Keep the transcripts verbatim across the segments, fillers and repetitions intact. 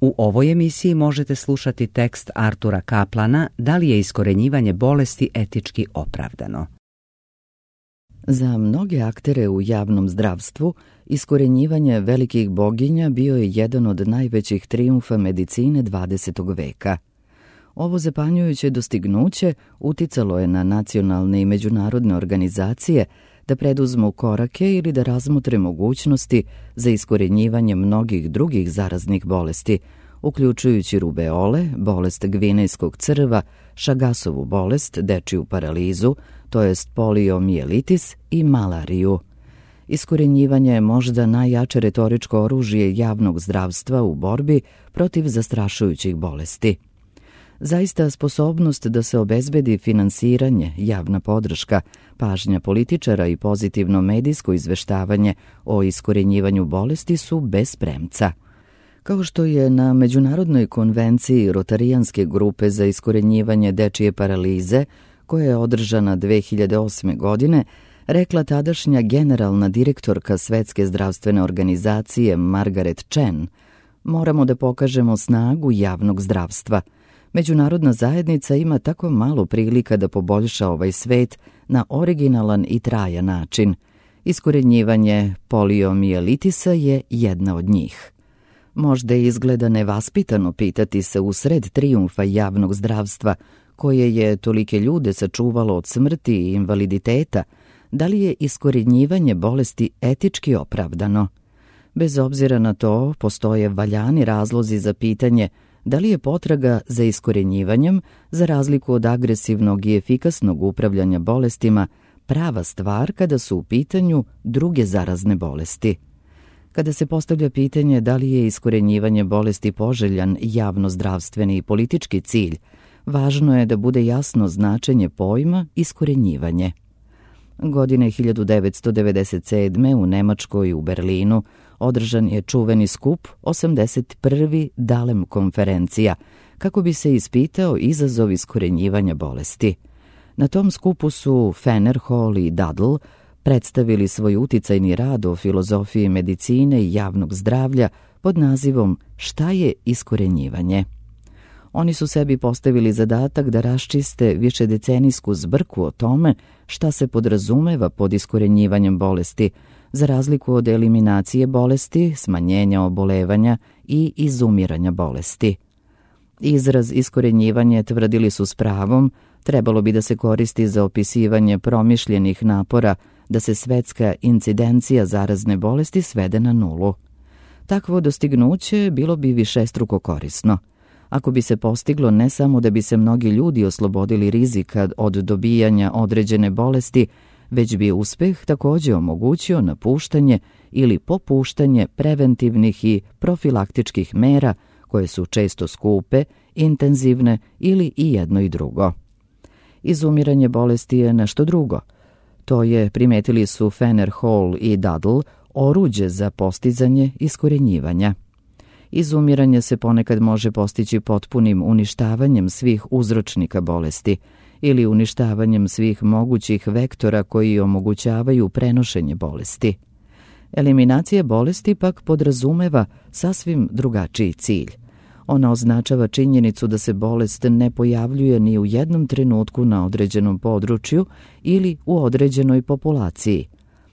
U ovoj emisiji možete slušati tekst Artura Kaplana Da li je iskorenjivanje bolesti etički opravdano? Za mnoge aktere u javnom zdravstvu, iskorenjivanje velikih boginja bio je jedan od najvećih trijumfa medicine dvadesetog veka. Ovo zapanjujuće dostignuće uticalo je na nacionalne i međunarodne organizacije da preduzmu korake ili da razmotre mogućnosti za iskorenjivanje mnogih drugih zaraznih bolesti, uključujući rubeole, bolest gvinejskog crva, Šagasovu bolest, dečiju paralizu, to jest poliomijelitis i malariju. Iskorenjivanje je možda najjače retoričko oružje javnog zdravstva u borbi protiv zastrašujućih bolesti. Zaista sposobnost da se obezbedi finansiranje, javna podrška, pažnja političara i pozitivno medijsko izveštavanje o iskorenjivanju bolesti su bez premca. Kao što je na Međunarodnoj konvenciji Rotarijanske grupe za iskorenjivanje dečije paralize, koja je održana dve hiljade osme. godine, rekla tadašnja generalna direktorka Svetske zdravstvene organizacije Margaret Chan, moramo da pokažemo snagu javnog zdravstva. Međunarodna zajednica ima tako malo prilika da poboljša ovaj svet na originalan i trajan način. Iskorenjivanje poliomijelitisa je jedna od njih. Možda izgleda nevaspitano pitati se usred trijumfa javnog zdravstva, koje je tolike ljude sačuvalo od smrti i invaliditeta, da li je iskorenjivanje bolesti etički opravdano. Bez obzira na to, postoje valjani razlozi za pitanje da li je potraga za iskorenjivanjem, za razliku od agresivnog i efikasnog upravljanja bolestima, prava stvar kada su u pitanju druge zarazne bolesti. Kada se postavlja pitanje da li je iskorenjivanje bolesti poželjan javnozdravstveni i politički cilj, važno je da bude jasno značenje pojma iskorenjivanje. Godine hiljadu devetsto devedeset sedme. u Nemačkoj u Berlinu održan je čuveni skup osamdeset prvi Dalem konferencija, kako bi se ispitao izazov iskorenjivanja bolesti. Na tom skupu su Fener, Hall i Dadl predstavili svoj uticajni rad o filozofiji medicine i javnog zdravlja pod nazivom Šta je iskorenjivanje? Oni su sebi postavili zadatak da raščiste višedecenijsku zbrku o tome šta se podrazumeva pod iskorenjivanjem bolesti, za razliku od eliminacije bolesti, smanjenja obolevanja i izumiranja bolesti. Izraz iskorenjivanje, tvrdili su s pravom, trebalo bi da se koristi za opisivanje promišljenih napora da se svetska incidencija zarazne bolesti svede na nulu. Takvo dostignuće bilo bi višestruko korisno. Ako bi se postiglo ne samo da bi se mnogi ljudi oslobodili rizika od dobijanja određene bolesti, već bi uspeh također omogućio napuštanje ili popuštanje preventivnih i profilaktičkih mera koje su često skupe, intenzivne ili i jedno i drugo. Izumiranje bolesti je nešto drugo. To je, primetili su Fener, Hall i Dadl, oruđe za postizanje iskorenjivanja. Izumiranje se ponekad može postići potpunim uništavanjem svih uzročnika bolesti ili uništavanjem svih mogućih vektora koji omogućavaju prenošenje bolesti. Eliminacija bolesti pak podrazumeva sasvim drugačiji cilj. Ona označava činjenicu da se bolest ne pojavljuje ni u jednom trenutku na određenom području ili u određenoj populaciji.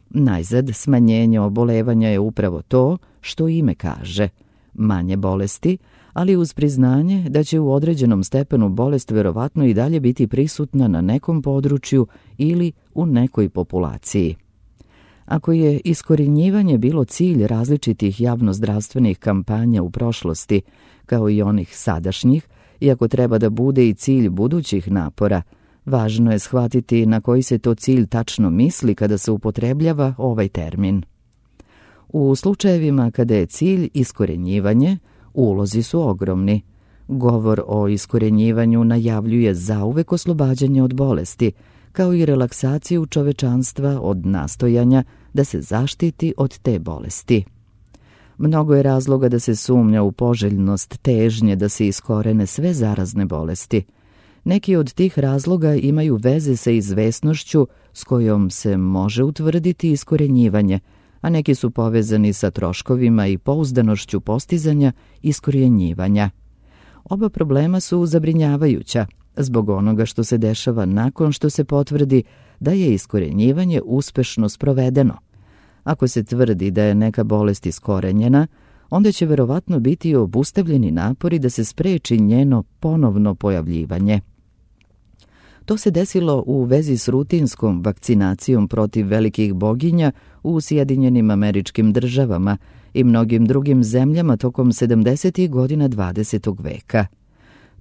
Najzad, smanjenje obolevanja je upravo to što ime kaže. Manje bolesti, ali uz priznanje da će u određenom stepenu bolest verovatno i dalje biti prisutna na nekom području ili u nekoj populaciji. Ako je iskorenjivanje bilo cilj različitih javnozdravstvenih kampanja u prošlosti, kao i onih sadašnjih, i ako treba da bude i cilj budućih napora, važno je shvatiti na koji se to cilj tačno misli kada se upotrebljava ovaj termin. U slučajevima kada je cilj iskorenjivanje, ulozi su ogromni. Govor o iskorenjivanju najavljuje zauvek oslobađanje od bolesti, kao i relaksaciju čovečanstva od nastojanja da se zaštiti od te bolesti. Mnogo je razloga da se sumnja u poželjnost težnje da se iskorene sve zarazne bolesti. Neki od tih razloga imaju veze sa izvesnošću s kojom se može utvrditi iskorenjivanje, a neki su povezani sa troškovima i pouzdanošću postizanja iskorjenjivanja. Oba problema su zabrinjavajuća zbog onoga što se dešava nakon što se potvrdi da je iskorjenjivanje uspešno sprovedeno. Ako se tvrdi da je neka bolest iskorenjena, onda će verovatno biti obustavljeni napori da se spreči njeno ponovno pojavljivanje. To se desilo u vezi s rutinskom vakcinacijom protiv velikih boginja u Sjedinjenim Američkim Državama i mnogim drugim zemljama tokom sedamdesetih godina dvadesetog veka.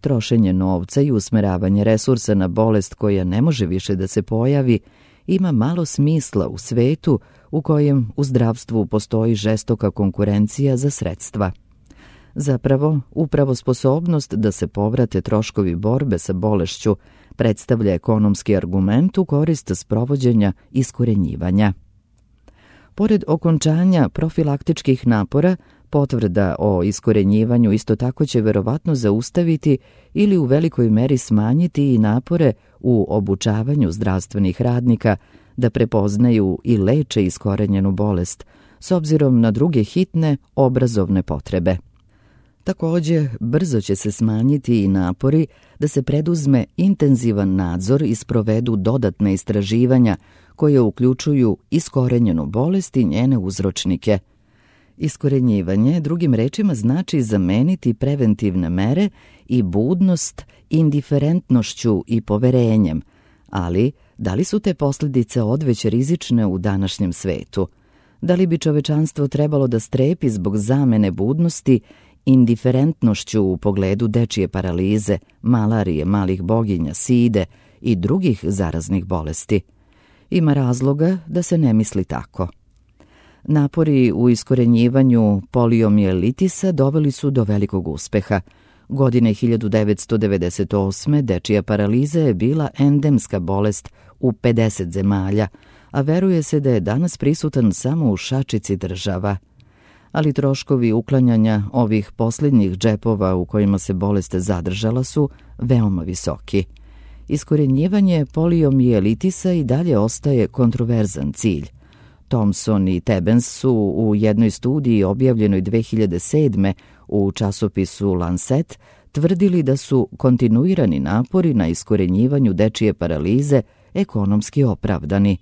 Trošenje novca i usmeravanje resursa na bolest koja ne može više da se pojavi ima malo smisla u svetu u kojem u zdravstvu postoji žestoka konkurencija za sredstva. Zapravo, upravo sposobnost da se povrate troškovi borbe sa bolešću predstavlja ekonomski argument u korist sprovođenja iskorenjivanja. Pored okončanja profilaktičkih napora, potvrda o iskorenjivanju isto tako će verovatno zaustaviti ili u velikoj meri smanjiti i napore u obučavanju zdravstvenih radnika da prepoznaju i leče iskorenjenu bolest, s obzirom na druge hitne obrazovne potrebe. Također, brzo će se smanjiti i napori da se preduzme intenzivan nadzor i sprovedu dodatne istraživanja koje uključuju iskorenjenu bolest i njene uzročnike. Iskorenjivanje, drugim rečima, znači zameniti preventivne mere i budnost indiferentnošću i poverenjem, ali da li su te posljedice odveć rizične u današnjem svetu? Da li bi čovečanstvo trebalo da strepi zbog zamene budnosti indiferentnošću u pogledu dečije paralize, malarije, malih boginja, side i drugih zaraznih bolesti? Ima razloga da se ne misli tako. Napori u iskorenjivanju poliomijelitisa doveli su do velikog uspeha. Godine hiljadu devetsto devedeset osme dečija paraliza je bila endemska bolest u pedeset zemalja, a veruje se da je danas prisutan samo u šačici država. Ali troškovi uklanjanja ovih posljednjih džepova u kojima se bolest zadržala su veoma visoki. Iskorenjivanje poliomijelitisa i dalje ostaje kontroverzan cilj. Thompson i Tebens su u jednoj studiji objavljenoj dve hiljade sedme u časopisu Lancet tvrdili da su kontinuirani napori na iskorenjivanju dečije paralize ekonomski opravdani.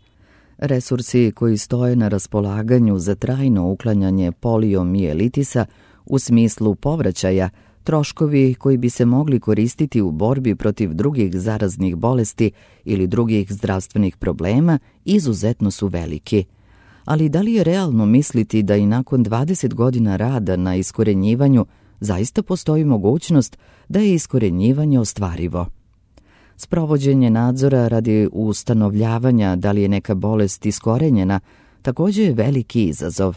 Resursi koji stoje na raspolaganju za trajno uklanjanje poliomijelitisa u smislu povraćaja, troškovi koji bi se mogli koristiti u borbi protiv drugih zaraznih bolesti ili drugih zdravstvenih problema, izuzetno su veliki. Ali da li je realno misliti da i nakon dvadeset godina rada na iskorenjivanju zaista postoji mogućnost da je iskorenjivanje ostvarivo? Sprovođenje nadzora radi ustanovljavanja da li je neka bolest iskorenjena također je veliki izazov.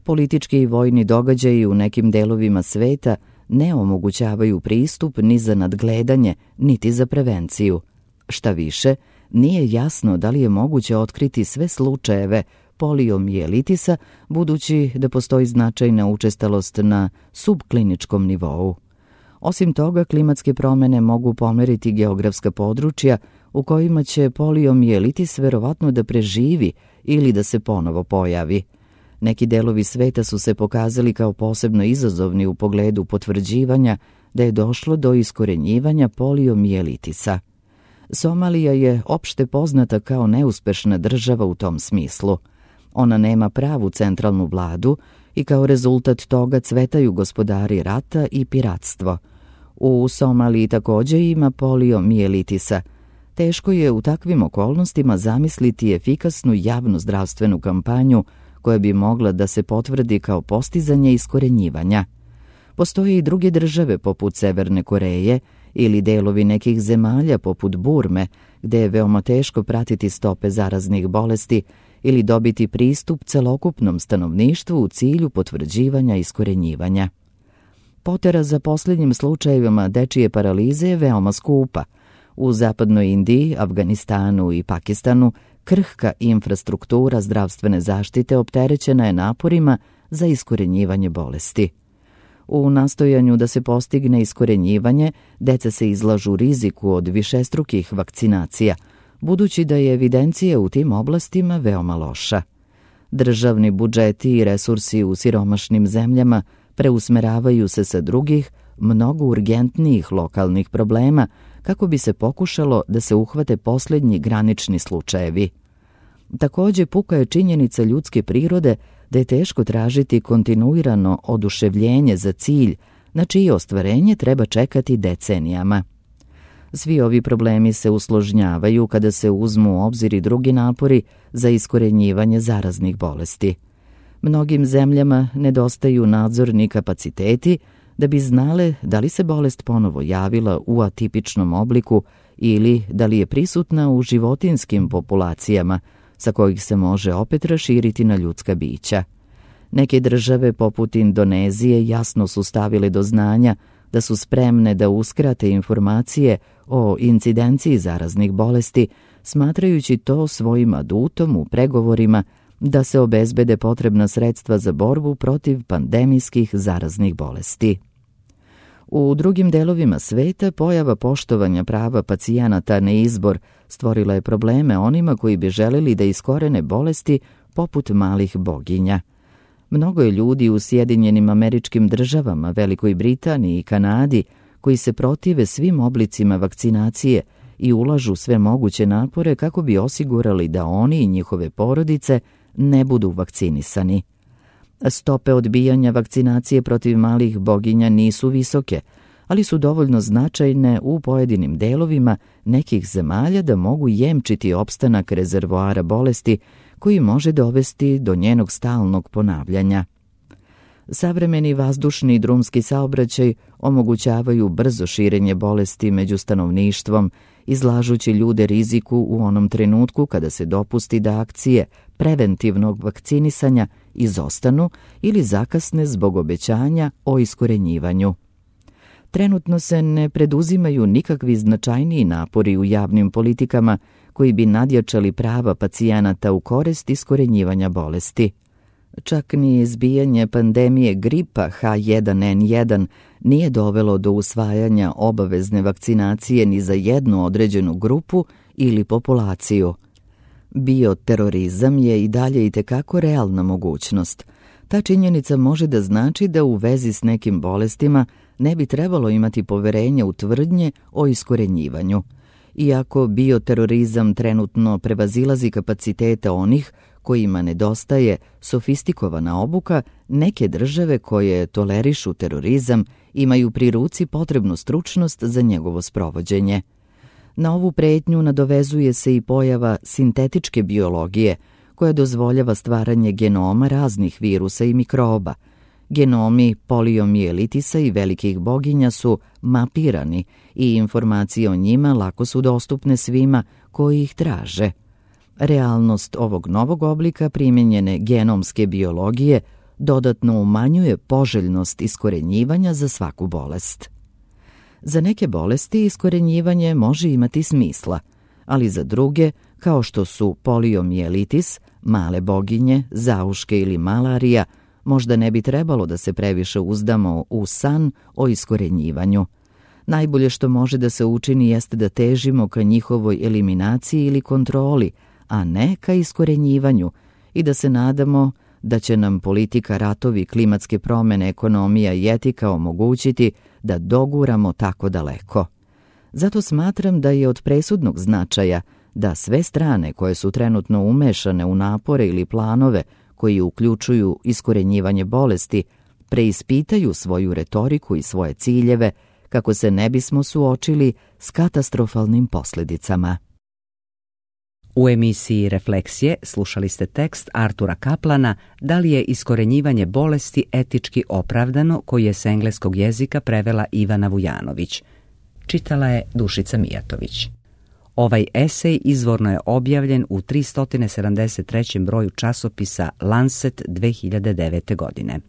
Politički i vojni događaji u nekim delovima sveta ne omogućavaju pristup ni za nadgledanje, niti za prevenciju. Šta više, nije jasno da li je moguće otkriti sve slučajeve poliomijelitisa, budući da postoji značajna učestalost na subkliničkom nivou. Osim toga, klimatske promjene mogu pomeriti geografska područja u kojima će poliomijelitis verovatno da preživi ili da se ponovo pojavi. Neki delovi sveta su se pokazali kao posebno izazovni u pogledu potvrđivanja da je došlo do iskorenjivanja poliomijelitisa. Somalija je opšte poznata kao neuspešna država u tom smislu. Ona nema pravu centralnu vladu i kao rezultat toga cvetaju gospodari rata i piratstvo. U Somaliji također ima poliomijelitisa. Teško je u takvim okolnostima zamisliti efikasnu javnu zdravstvenu kampanju koja bi mogla da se potvrdi kao postizanje iskorenjivanja. Postoje i druge države poput Severne Koreje ili delovi nekih zemalja poput Burme, gde je veoma teško pratiti stope zaraznih bolesti ili dobiti pristup celokupnom stanovništvu u cilju potvrđivanja iskorenjivanja. Potera za posljednjim slučajevima dečije paralize je veoma skupa. U zapadnoj Indiji, Afganistanu i Pakistanu krhka infrastruktura zdravstvene zaštite opterećena je naporima za iskorenjivanje bolesti. U nastojanju da se postigne iskorenjivanje, deca se izlažu riziku od višestrukih vakcinacija, budući da je evidencija u tim oblastima veoma loša. Državni budžeti i resursi u siromašnim zemljama preusmeravaju se sa drugih, mnogo urgentnijih lokalnih problema kako bi se pokušalo da se uhvate posljednji granični slučajevi. Također, puka je činjenica ljudske prirode da je teško tražiti kontinuirano oduševljenje za cilj, na čije ostvarenje treba čekati decenijama. Svi ovi problemi se usložnjavaju kada se uzmu u obzir i drugi napori za iskorenjivanje zaraznih bolesti. Mnogim zemljama nedostaju nadzorni kapaciteti da bi znale da li se bolest ponovo javila u atipičnom obliku ili da li je prisutna u životinjskim populacijama sa kojih se može opet raširiti na ljudska bića. Neke države poput Indonezije jasno su stavile do znanja da su spremne da uskrate informacije o incidenciji zaraznih bolesti, smatrajući to svojim adutom u pregovorima da se obezbede potrebna sredstva za borbu protiv pandemijskih zaraznih bolesti. U drugim delovima sveta pojava poštovanja prava pacijenata na izbor stvorila je probleme onima koji bi želeli da iskorene bolesti poput malih boginja. Mnogo je ljudi u Sjedinjenim Američkim Državama, Velikoj Britaniji i Kanadi koji se protive svim oblicima vakcinacije i ulažu sve moguće napore kako bi osigurali da oni i njihove porodice ne budu vakcinisani. Stope odbijanja vakcinacije protiv malih boginja nisu visoke, ali su dovoljno značajne u pojedinim delovima nekih zemalja da mogu jemčiti opstanak rezervoara bolesti koji može dovesti do njenog stalnog ponavljanja. Savremeni vazdušni i drumski saobraćaj omogućavaju brzo širenje bolesti među stanovništvom, izlažući ljude riziku u onom trenutku kada se dopusti da akcije preventivnog vakcinisanja izostanu ili zakasne zbog obećanja o iskorenjivanju. Trenutno se ne preduzimaju nikakvi značajniji napori u javnim politikama koji bi nadjačali prava pacijenata u korist iskorenjivanja bolesti. Čak ni izbijanje pandemije gripa H jedan N jedan nije dovelo do usvajanja obavezne vakcinacije ni za jednu određenu grupu ili populaciju. Bioterorizam je i dalje itekako realna mogućnost. Ta činjenica može da znači da u vezi s nekim bolestima ne bi trebalo imati poverenja u tvrdnje o iskorenjivanju. Iako bioterorizam trenutno prevazilazi kapacitete onih kojima nedostaje sofistikowana obuka, neke države koje tolerišu terorizam imaju pri ruci potrebnu stručnost za njegovo sprovođenje. Na ovu pretnju nadovezuje se i pojava sintetičke biologije, koja dozvoljava stvaranje genoma raznih virusa i mikroba. Genomi poliomijelitisa i velikih boginja su mapirani i informacije o njima lako su dostupne svima koji ih traže. Realnost ovog novog oblika primijenjene genomske biologije dodatno umanjuje poželjnost iskorenjivanja za svaku bolest. Za neke bolesti iskorenjivanje može imati smisla, ali za druge, kao što su poliomijelitis, male boginje, zauške ili malarija, možda ne bi trebalo da se previše uzdamo u san o iskorenjivanju. Najbolje što može da se učini jeste da težimo ka njihovoj eliminaciji ili kontroli, a ne ka iskorenjivanju, i da se nadamo da će nam politika, ratovi, klimatske promjene, ekonomija i etika omogućiti da doguramo tako daleko. Zato smatram da je od presudnog značaja da sve strane koje su trenutno umešane u napore ili planove koji uključuju iskorenjivanje bolesti preispitaju svoju retoriku i svoje ciljeve kako se ne bismo suočili s katastrofalnim posljedicama. U emisiji Refleksije slušali ste tekst Artura Kaplana Da li je iskorenjivanje bolesti etički opravdano, koji je s engleskog jezika prevela Ivana Vujanović. Čitala je Dušica Mijatović. Ovaj esej izvorno je objavljen u tristo sedamdeset trećem broju časopisa Lancet dve hiljade devete godine.